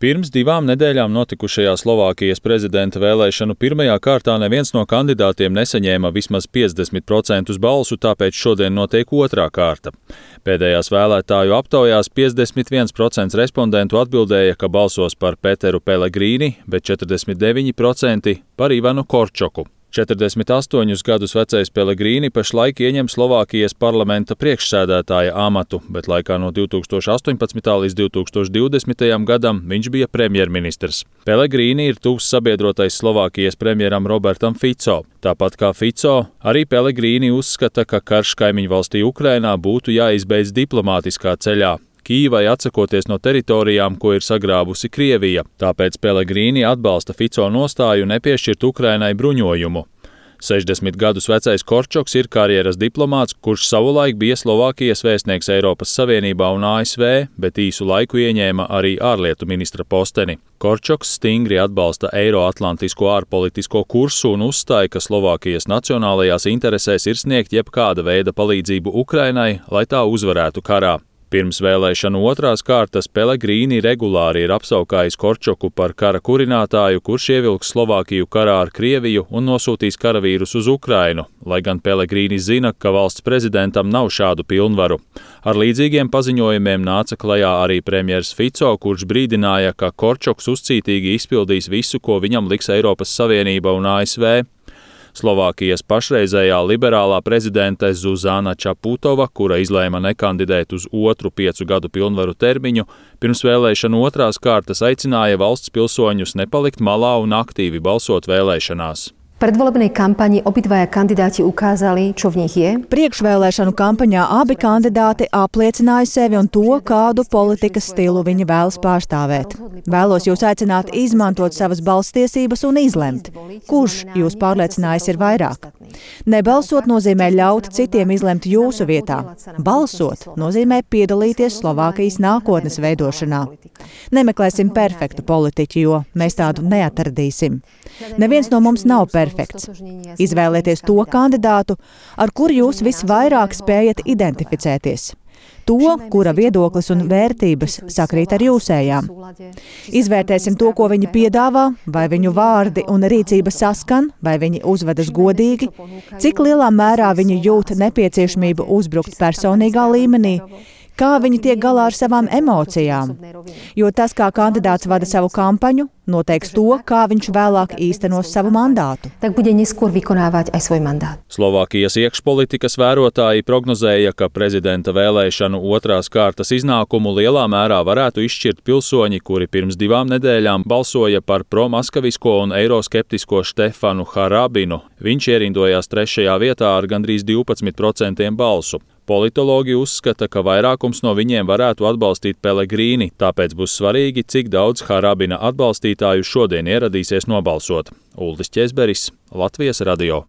Pirms 2 nedēļām notikušajā Slovākijas prezidenta vēlēšanu pirmajā kārtā neviens no kandidātiem nesaņēma vismaz 50% balsu, tāpēc šodien notiek otrā kārta. Pēdējās vēlētāju aptaujās 51% respondentu atbildēja, ka balsos par Peteru Pelegrīni, bet 49% par Ivanu Korčoku. 48 gadus vecais Pelegrīni pašlaik ieņem Slovākijas parlamenta priekšsēdētāja amatu, bet laikā no 2018. līdz 2020. gadam viņš bija premjerministrs. Pelegrīni ir tuvs sabiedrotais Slovākijas premjeram Robertam Fico. Tāpat kā Fico, arī Pelegrīni uzskata, ka karš kaimiņvalstī Ukrainā būtu jāizbeidz diplomātiskā ceļā, Kīvai atsakoties no teritorijām, ko ir sagrābusi Krievija. Tāpēc Pelegrīni atbalsta Fico nostāju nepiešķirt Ukrainai bruņojumu. 60 gadus vecais Korčoks ir karjeras diplomāts, kurš savulaik bija Slovākijas vēstnieks Eiropas Savienībā un ASV, bet īsu laiku ieņēma arī ārlietu ministra posteni. Korčoks stingri atbalsta eiroatlantisko ārpolitisko kursu un uzstāja, ka Slovākijas nacionālajās interesēs ir sniegt jebkāda veida palīdzību Ukrainai, lai tā uzvarētu karā. Pirms vēlēšanu otrās kārtas Pelegrīni regulāri ir apsaukājis Korčoku par kara kurinātāju, kurš ievilks Slovākiju karā ar Krieviju un nosūtīs karavīrus uz Ukrainu, lai gan Pelegrīni zina, ka valsts prezidentam nav šādu pilnvaru. Ar līdzīgiem paziņojumiem nāca klajā arī premjers Fico, kurš brīdināja, ka Korčoks uzcītīgi izpildīs visu, ko viņam liks Eiropas Savienība un ASV. Slovākijas pašreizējā liberālā prezidente Zuzana Čaputova, kura izlēma nekandidēt uz otru 5 gadu pilnvaru termiņu, pirms vēlēšanu otrās kārtas aicināja valsts pilsoņus nepalikt malā un aktīvi balsot vēlēšanās. V predvolebnej kampani obidvaja kandidáti ukázali, čo v nich je. Priekšvēlēšanu kampaņā abi kandidāti apliecināja sevi un to, kādu politikas stilu viņi vēlas pārstāvēt. Vēlos jūs aicināt izmantot savas balsstiesības un izlemt, kurš jūs pārliecinājis ir vairāk. Nebalsot nozīmē ļaut citiem izlemt jūsu vietā. Balsot nozīmē piedalīties Slovākijas nākotnes veidošanā. Nemeklēsim perfektu politiķu, jo mēs tādu neatradīsim. Neviens no mums nav perfekts. Izvēlieties to kandidātu, ar kuru jūs visvairāk spējat identificēties. To, kura viedoklis un vērtības sakrīt ar jūsējām. Izvērtēsim to, ko viņi piedāvā, vai viņu vārdi un rīcība saskan, vai viņi uzvedas godīgi, cik lielā mērā viņi jūt nepieciešamību uzbrukt personīgā līmenī, kā viņi tiek galā ar savām emocijām, jo tas, kā kandidāts vada savu kampaņu, noteiks to, kā viņš vēlāk īstenos savu mandātu. Tak bude neskôr vykonávať aj svoj mandát. Slovākijas iekšpolitikas vērotāji prognozēja, ka prezidenta vēlēšanu otrās kārtas iznākumu lielā mērā varētu izšķirt pilsoņi, kuri pirms 2 nedēļām balsoja par promaskavisko un eiroskeptisko Štefanu Harabinu. Viņš ierindojās 3. vietā ar gandrīz 12% balsu. Politologi uzskata, ka vairākums no viņiem varētu atbalstīt Pelegrīni, tāpēc būs svarīgi, cik daudz Harabina atbalstītāju šodien ieradīsies nobalsot. Uldis Ķezberis, Latvijas radio.